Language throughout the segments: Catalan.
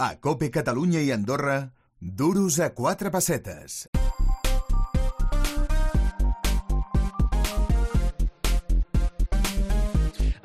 A COPE Catalunya i Andorra, duros a 4 pessetes.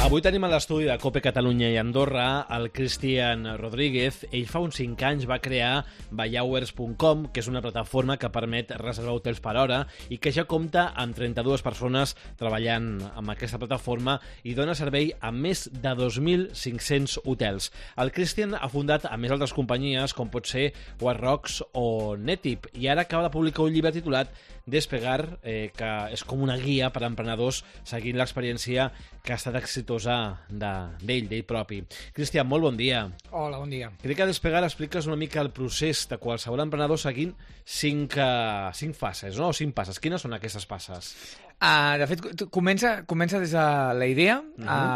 Avui tenim a l'estudi de COPE Catalunya i Andorra el Cristian Rodríguez. Ell fa uns 5 anys va crear Vallauers.com, que és una plataforma que permet reservar hotels per hora i que ja compta amb 32 persones treballant amb aquesta plataforma i dona servei a més de 2.500 hotels. El Cristian ha fundat a més altres companyies com pot ser White Rocks o Netip i ara acaba de publicar un llibre titulat Despegar, que és com una guia per a emprenedors seguint l'experiència que ha estat exitosa d'ell propi. Cristian, molt bon dia. Hola, bon dia. Crec que a Despegar expliques una mica el procés de qualsevol emprenedor seguint 5 fases, no? O 5 passes. Quines són aquestes passes? De fet, comença des de la idea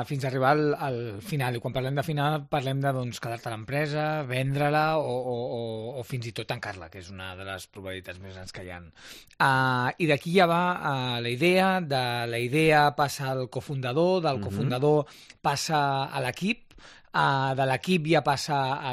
fins a arribar al final. I quan parlem de final, parlem de quedar-te a l'empresa, vendre-la o fins i tot tancar-la, que és una de les probabilitats més grans que hi ha. I d'aquí ja va la idea, de la idea passa al cofundador, del cofundador passa a l'equip, de l'equip ja passa a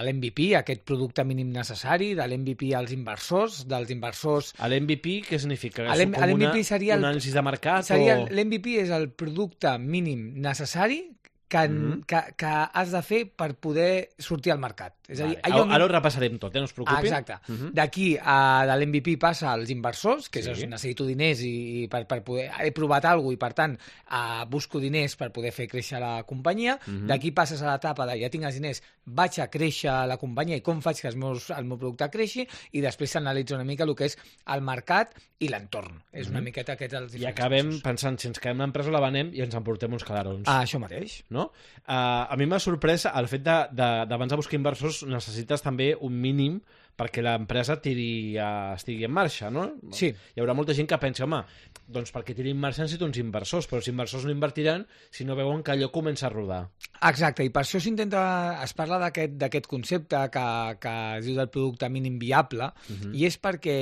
l'MVP, aquest producte mínim necessari, de l'MVP als inversors, dels inversors... L'MVP què significa? L'MVP seria un anàlisi de mercat? L'MVP és el producte mínim necessari que has de fer per poder sortir al mercat. És a dir, ara ho repassarem tot, no us preocupin. Exacte. D'aquí, de l'MVP passa als inversors, que és necessito diners i per poder... He provat alguna cosa i, per tant, busco diners per poder fer créixer la companyia. D'aquí passes a l'etapa de ja tinc els diners, vaig a créixer la companyia i com faig que el meu producte creixi, i després s'analitza una mica el que és el mercat i l'entorn. És una miqueta aquests els diferents. I acabem pensant, si ens quedem l'empresa la venem i ens emportem uns calarons. Això mateix. No? A mi m'ha sorprès el fet d'abans de buscar inversors necessites també un mínim perquè l'empresa estigui en marxa, no? Sí. Hi haurà molta gent que pensa, home, doncs perquè tiri en marxa necessito uns inversors, però els inversors no invertiran si no veuen que allò comença a rodar. Exacte, i per això es parla d'aquest concepte que es diu del producte mínim viable, i és perquè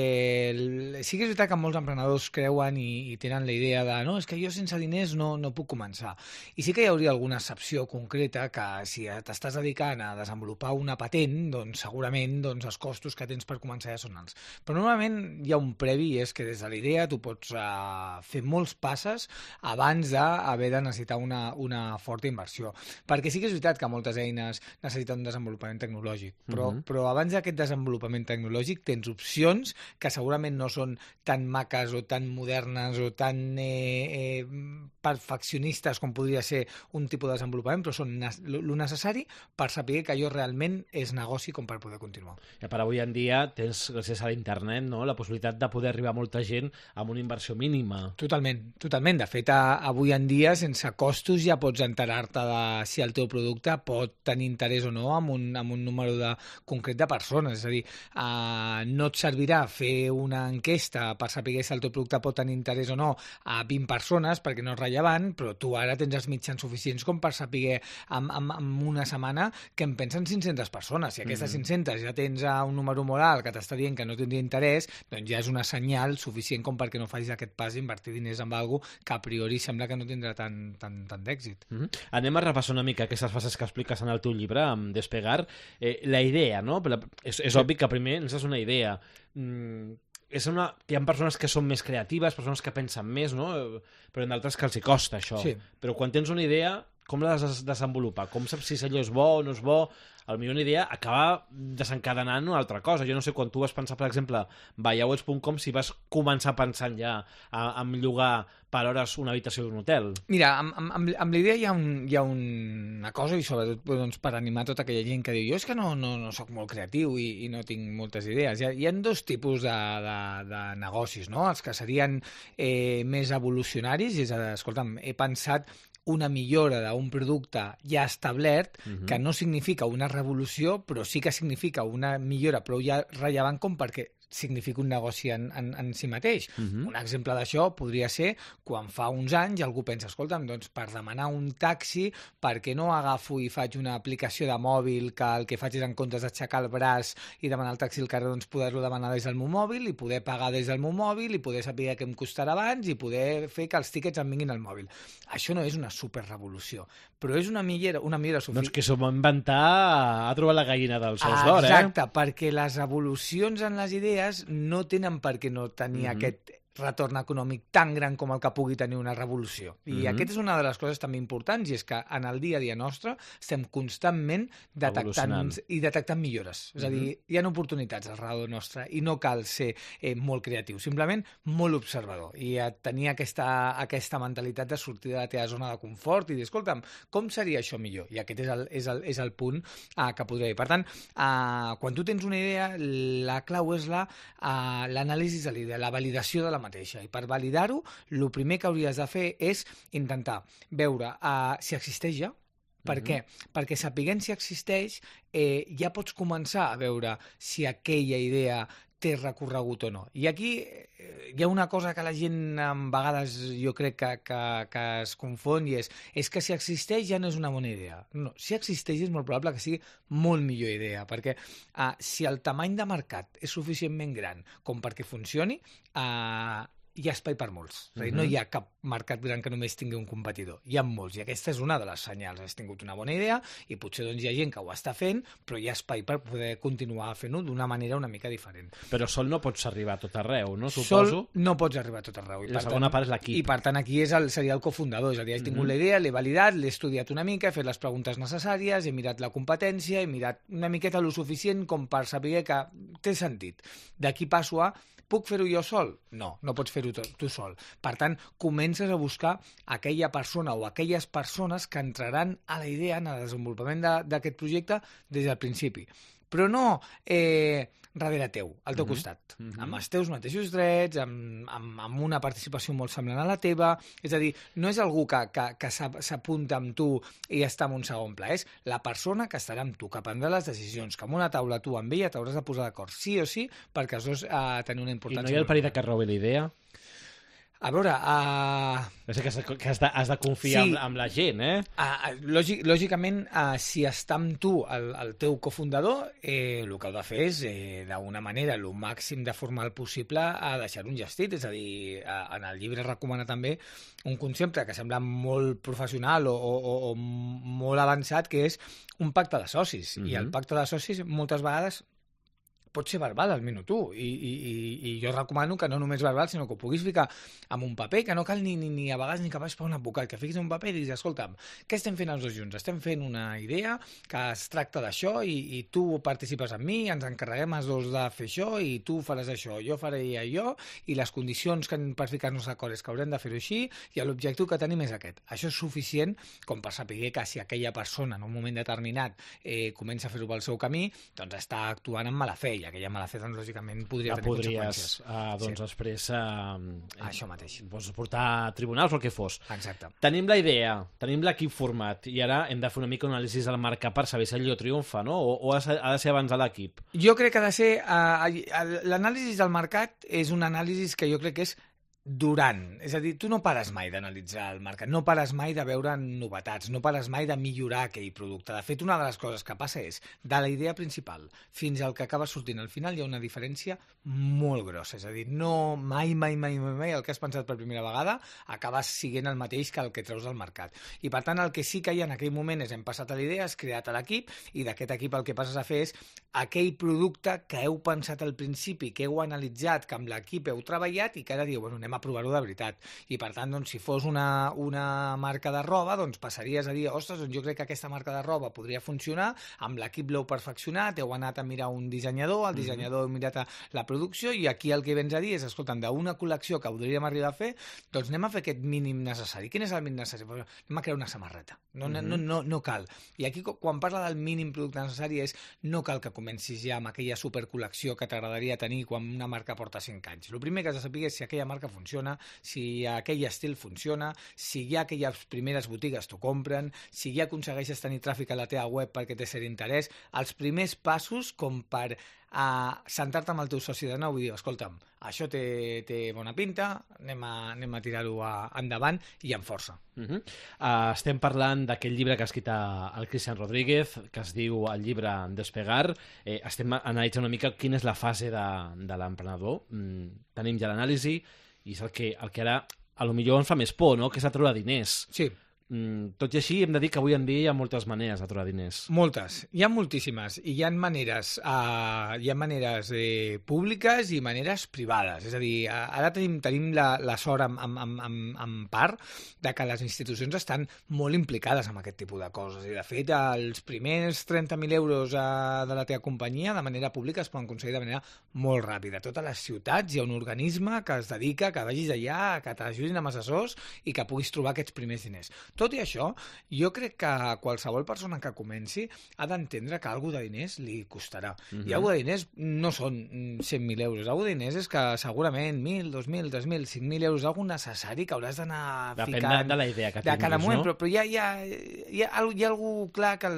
sí que és veritat que molts emprenedors creuen i tenen la idea de no, és que jo sense diners no puc començar. I sí que hi hauria alguna excepció concreta que si t'estàs dedicant a desenvolupar una patent, doncs segurament els costos que tens per començar ja són alts. Però normalment hi ha un previ, i és que des de la idea tu pots fer molts passes abans d'haver de necessitar una forta inversió. Perquè sí que és veritat que moltes eines necessiten un desenvolupament tecnològic, però abans d'aquest desenvolupament tecnològic tens opcions que segurament no són tan maques o tan modernes o tan perfeccionistes com podria ser un tipus de desenvolupament, però són lo necessari per saber que allò realment és negoci com per poder continuar. I per avui en dia tens, gràcies a l'internet, no, la possibilitat de poder arribar a molta gent amb una inversió mínima. Totalment. De fet, avui en dia, sense costos, ja pots enterar-te de si el teu producte pot tenir interès o no amb un número concret de persones. És a dir, no et servirà fer una enquesta per saber si el teu producte pot tenir interès o no a 20 persones, perquè no és rellevant, però tu ara tens els mitjans suficients com per saber en una setmana que en pensen 500 persones. Si aquestes 500 ja tens un número moral que t'està dient que no tindria interès, doncs ja és una senyal suficient com perquè no facis aquest pas d'invertir diners en alguna cosa que a priori sembla que no tindrà tant d'èxit. Anem a repassar una mica aquestes fases que expliques en el teu llibre, amb Despegar. La idea, no? És obvi que primer necessites una idea. Hi ha persones que són més creatives, persones que pensen més, no? Però en d'altres que els hi costa això. Sí. Però quan tens una idea, com l'has de desenvolupar? Com saps si allò és bo o no és bo? Potser una idea acaba desencadenant una altra cosa. Jo no sé, quan tu vas pensar, per exemple, Vallauers.com, si vas començar pensant ja en llogar per hores una habitació d'un hotel. Mira, amb l'idea hi ha una cosa, i sobretot per animar tota aquella gent que diu jo és que no soc molt creatiu i no tinc moltes idees. Hi ha dos tipus de negocis, no? Els que serien més evolucionaris, és a dir, escolta'm, he pensat una millora d'un producte ja establert, que no significa una revolució, però sí que significa una millora prou ja rellevant com perquè significa un negoci en si mateix. Un exemple d'això podria ser quan fa uns anys algú pensa, escolta'm, doncs per demanar un taxi, per què no agafo i faig una aplicació de mòbil que el que faig és en comptes d'aixecar el braç i demanar el taxi al carrer, doncs poder-lo demanar des del meu mòbil i poder pagar des del meu mòbil i poder saber què em costarà abans i poder fer que els tíquets em vinguin al mòbil. Això no és una superrevolució, però és una millora Doncs que s'ho va inventar, ha trobat la gallina dels ous d'or, Exacte, perquè les evolucions en les idees no tenen per què no tenir aquest retorn econòmic tan gran com el que pugui tenir una revolució. I aquesta és una de les coses també importants, i és que en el dia a dia nostre estem constantment detectant millores. És a dir, hi ha oportunitats al redador nostre i no cal ser molt creatiu, simplement molt observador i tenir aquesta mentalitat de sortir de la teva zona de confort i dir, escolta'm, com seria això millor? I aquest és el punt que podria dir. Per tant, quan tu tens una idea, la clau és l'anàlisi de l'idea, la validació de la mateixa. I per validar-ho, el primer que hauries de fer és intentar veure si existeix ja. Per què? Perquè sapiguent si existeix, ja pots començar a veure si aquella idea té recorregut o no. I aquí hi ha una cosa que la gent a vegades jo crec que es confon i és que si existeix ja no és una bona idea. No, si existeix és molt probable que sigui molt millor idea, perquè si el tamany de mercat és suficientment gran com perquè funcioni, hi ha espai per molts. És a dir, no hi ha cap mercat gran que només tingui un competidor. Hi ha molts, i aquesta és una de les senyals. Has tingut una bona idea i potser doncs, hi ha gent que ho està fent, però hi ha espai per poder continuar fent-ho d'una manera una mica diferent. Però sol no pots arribar a tot arreu, no? Suposo. Sol no pots arribar a tot arreu. I la segona part és l'equip. I per tant aquí seria el cofundador. És a dir, he tingut la idea, l'he validat, l'he estudiat una mica, he fet les preguntes necessàries, he mirat la competència, he mirat una miqueta lo suficient com per saber que té sentit. D'aquí passo a puc fer-ho jo sol? No, no pots fer-ho tu sol. Per tant, comences a buscar aquella persona o aquelles persones que entraran a la idea, en el desenvolupament d'aquest projecte des del principi. Però no darrere teu, al teu costat, amb els teus mateixos drets, amb una participació molt semblant a la teva. És a dir, no és algú que s'apunta amb tu i està en un segon pla, és la persona que estarà amb tu, que prendrà les decisions, que amb una taula tu amb ella t'hauràs de posar d'acord sí o sí perquè els dos tenen una importància. I no hi ha el perill que robi la idea? A veure... que has de confiar en la gent, Lògicament, si està amb tu el teu cofundador, el que heu de fer és, d'una manera, el màxim de formal possible, deixar un gestit. És a dir, en el llibre recomana també un concepte que sembla molt professional o molt avançat, que és un pacte de socis. I el pacte de socis, moltes vegades, pot ser verbal al minut 1 i jo recomano que no només verbal sinó que ho puguis ficar en un paper, que no cal ni a vegades ni que vagis per un advocat, que fiquis en un paper i diguis, escolta'm, què estem fent els dos junts? Estem fent una idea que es tracta d'això i tu participes amb mi, ens encarreguem els dos de fer això i tu faràs això, jo faré allò i les condicions per ficar-nos d'acord és que haurem de fer-ho així i l'objectiu que tenim és aquest. Això és suficient com per saber que si aquella persona en un moment determinat comença a fer-ho pel seu camí, doncs està actuant amb mala fe i aquella mala fe, doncs, lògicament, podria tenir conseqüències. Doncs després... Això mateix. Pots portar a tribunals o el que fos. Exacte. Tenim la idea, tenim l'equip format, i ara hem de fer una mica un anàlisi del mercat per saber si allò triomfa, no? O ha de ser abans de l'equip? Jo crec que ha de ser... L'anàlisi del mercat és un anàlisi que jo crec que és durant. És a dir, tu no pares mai d'analitzar el mercat, no pares mai de veure novetats, no pares mai de millorar aquell producte. De fet, una de les coses que passa és, de la idea principal fins al que acaba sortint al final, hi ha una diferència molt grossa. És a dir, no mai el que has pensat per primera vegada acaba siguent el mateix que el que treus del mercat. I per tant, el que sí que hi ha en aquell moment és hem passat a l'idea, has creat l'equip, i d'aquest equip el que passes a fer és aquell producte que heu pensat al principi, que heu analitzat, que amb l'equip heu treballat i que ara diu, bueno, anem a provar-ho de veritat. I per tant, doncs, si fos una marca de roba, doncs passaries a dir, ostres, doncs jo crec que aquesta marca de roba podria funcionar, amb l'equip l'heu perfeccionat, heu anat a mirar un dissenyador, el dissenyador heu mirat la producció i aquí el que vens a dir és, escolta'm, d'una col·lecció que podríem arribar a fer, doncs anem a fer aquest mínim necessari. Quin és el mínim necessari? Anem a crear una samarreta. No cal. I aquí, quan parla del mínim producte necessari, és no cal que comencis ja amb aquella supercol·lecció que t'agradaria tenir quan una marca porta 5 anys. El primer que has de saber és si aquella marca funciona, si aquell estil funciona, si ja aquelles primeres botigues t'ho compren, si ja aconsegueixes tenir tràfic a la teva web perquè té cert interès, els primers passos com per sentar-te amb el teu soci de nou i dir, escolta'm, això té bona pinta, anem a tirar-ho endavant i amb força. Estem parlant d'aquest llibre que ha escrit el Cristian Rodríguez, que es diu el llibre Despegar. Estem analitzant una mica quina és la fase de l'emprenedor. Tenim ja l'anàlisi i és el que ara a lo millor ens fa més por, no? Que és a treure diners. Sí. Tot i així, hem de dir que avui en dia hi ha moltes maneres de trobar diners. Moltes. Hi ha moltíssimes. I hi ha maneres, públiques i maneres privades. És a dir, ara tenim la sort en part de que les institucions estan molt implicades en aquest tipus de coses. I, de fet, els primers 30.000 euros de la teva companyia de manera pública es poden aconseguir de manera molt ràpida. A totes les ciutats hi ha un organisme que es dedica, que vagis allà, que t'ajudin amb assessors i que puguis trobar aquests primers diners. Tot i això, jo crec que qualsevol persona que comenci ha d'entendre que alguna de diners li costarà. I alguna de diners no són 100.000 euros. Alguna de diners és que segurament 1.000, 2.000, 3.000, 5.000 euros, alguna necessari que hauràs d'anar ficant... Depèn de la idea que tinguis, cada moment, no? Però hi ha algú clar que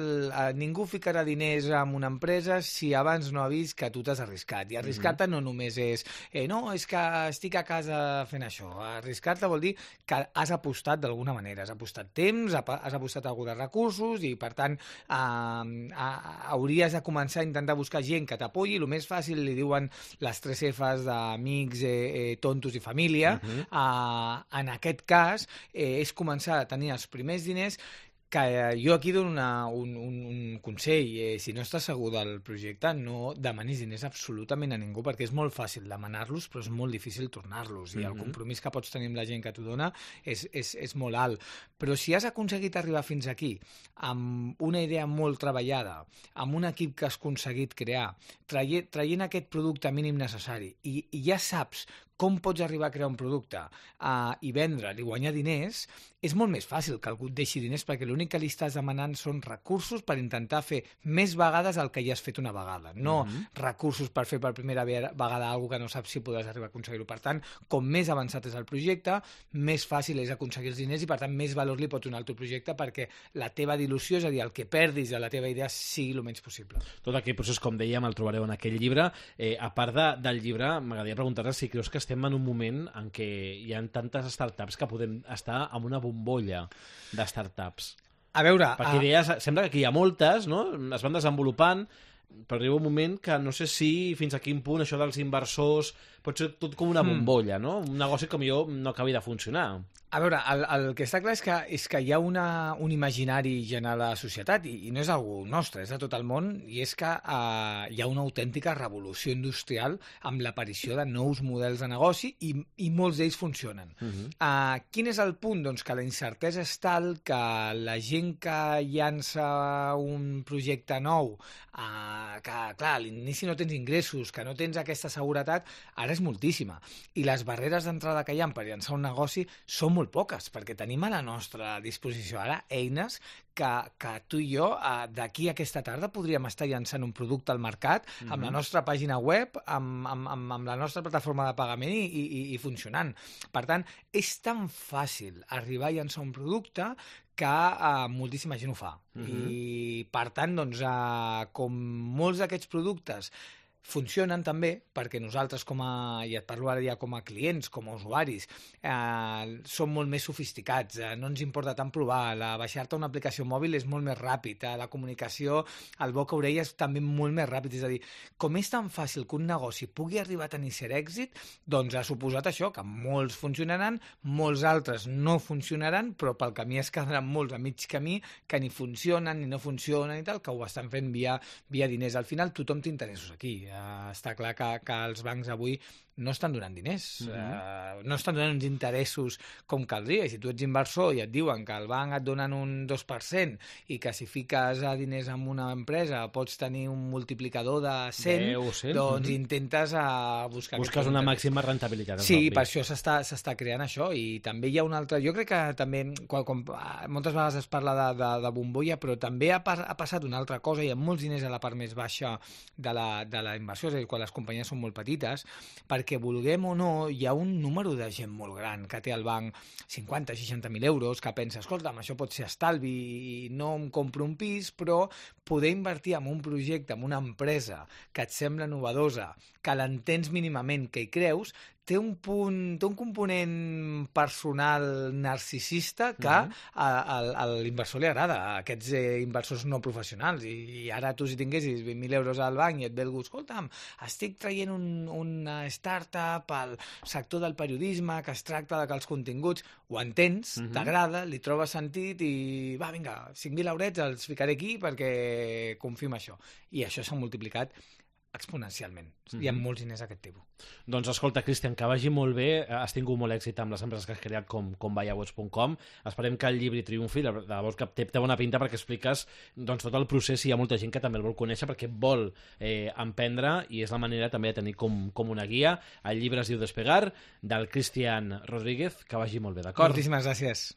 ningú ficarà diners en una empresa si abans no ha vist que tu t'has arriscat. I arriscar-te no només és no, és que estic a casa fent això. Arriscar-te vol dir que has apostat d'alguna manera. Has apostat temps, has apostat algú de recursos i, per tant, hauries de començar a intentar buscar gent que t'apoyi. El més fàcil, li diuen les 3 Fs d'amics, tontos i família. En aquest cas, és començar a tenir els primers diners. Que jo aquí dono un consell. Si no estàs segur del projecte, no demanis diners absolutament a ningú, perquè és molt fàcil demanar-los, però és molt difícil tornar-los. I el compromís que pots tenir amb la gent que t'ho dona és molt alt. Però si has aconseguit arribar fins aquí amb una idea molt treballada, amb un equip que has aconseguit crear, traient aquest producte mínim necessari, i ja saps com pots arribar a crear un producte i vendre'l i guanyar diners, és molt més fàcil que algú et deixi diners, perquè l'únic que li estàs demanant són recursos per intentar fer més vegades el que ja has fet una vegada, no recursos per fer per primera vegada alguna que no saps si podràs arribar a aconseguir-ho. Per tant, com més avançat és el projecte, més fàcil és aconseguir els diners i, per tant, més valor li pots donar al teu projecte perquè la teva dilució, és a dir, el que perdis de la teva idea, sigui el menys possible. Tot aquell procés, com dèiem, el trobareu en aquell llibre. A part del llibre, m'agradaria preguntar-te si creus que estem en un moment en què hi ha tantes startups que podem estar en una bombolla de startups. A veure... Perquè idees, sembla que aquí hi ha moltes, no? Es van desenvolupant, però arriba un moment que no sé si fins a quin punt això dels inversors pot ser tot com una bombolla, no? Un negoci que millor no acabi de funcionar. A veure, el que està clar és que hi ha un imaginari general a la societat i no és algú nostre, és de tot el món, i és que hi ha una autèntica revolució industrial amb l'aparició de nous models de negoci i molts d'ells funcionen. Quin és el punt? Doncs que la incertesa és tal que la gent que llança un projecte nou, que clar, a l'inici no tens ingressos, que no tens aquesta seguretat, ara és moltíssima. I les barreres d'entrada que hi ha per llançar un negoci són molt poques, perquè tenim a la nostra disposició ara eines que tu i jo d'aquí a aquesta tarda podríem estar llançant un producte al mercat amb la nostra pàgina web, amb la nostra plataforma de pagament i funcionant. Per tant, és tan fàcil arribar a llançar un producte que moltíssima gent ho fa. I, per tant, doncs, com molts d'aquests productes funcionen també, perquè nosaltres i et parlo ara ja com a clients, com a usuaris, som molt més sofisticats, no ens importa tant provar, baixar-te una aplicació mòbil és molt més ràpid, la comunicació, el boca-orella és també molt més ràpid, és a dir, com és tan fàcil que un negoci pugui arribar a tenir cert èxit, doncs ha suposat això, que molts funcionaran, molts altres no funcionaran, però pel camí es quedaran molts a mig camí que ni funcionen ni no funcionen i tal, que ho estan fent via diners. Al final tothom té interessos aquí. Està clar que els bancs avui no estan donant diners, no estan donant uns interessos com caldria. I si tu ets inversor i et diuen que el banc et donen un 2% i que si fiques diners en una empresa pots tenir un multiplicador de 100, doncs intentes buscar... Busques una màxima rentabilitat. Sí, per això s'està creant això. I també hi ha un altre... Jo crec que també, quan moltes vegades es parla de bombolla, però també ha passat una altra cosa. Hi ha molts diners a la part més baixa de la inversió, és a dir, quan les companyies són molt petites, perquè vulguem o no, hi ha un número de gent molt gran que té al banc 50-60.000 euros, que pensa, escolta'm, això pot ser estalvi i no em compro un pis, però poder invertir en un projecte, en una empresa que et sembla novedosa, que l'entens mínimament, que hi creus, té un component personal narcisista que a l'inversor li agrada, a aquests inversors no professionals, i ara tu si tinguessis 20.000 euros al banc i et ve algú, escolta'm, estic traient una startup al sector del periodisme que es tracta de que els continguts, ho entens, t'agrada, li trobes sentit i va, vinga, 5.000 eurets els ficaré aquí perquè confio en això. I això s'ha multiplicat exponencialment. Hi ha molts diners d'aquest tipus. Doncs escolta, Cristian, que vagi molt bé. Has tingut molt èxit amb les empreses que has creat com buyhours.com. Esperem que el llibre triomfi. De debò que té bona pinta perquè expliques tot el procés i hi ha molta gent que també el vol conèixer perquè vol emprendre i és la manera també de tenir com una guia. El llibre es diu Despegar, del Cristian Rodríguez. Que vagi molt bé, d'acord? Moltíssimes gràcies.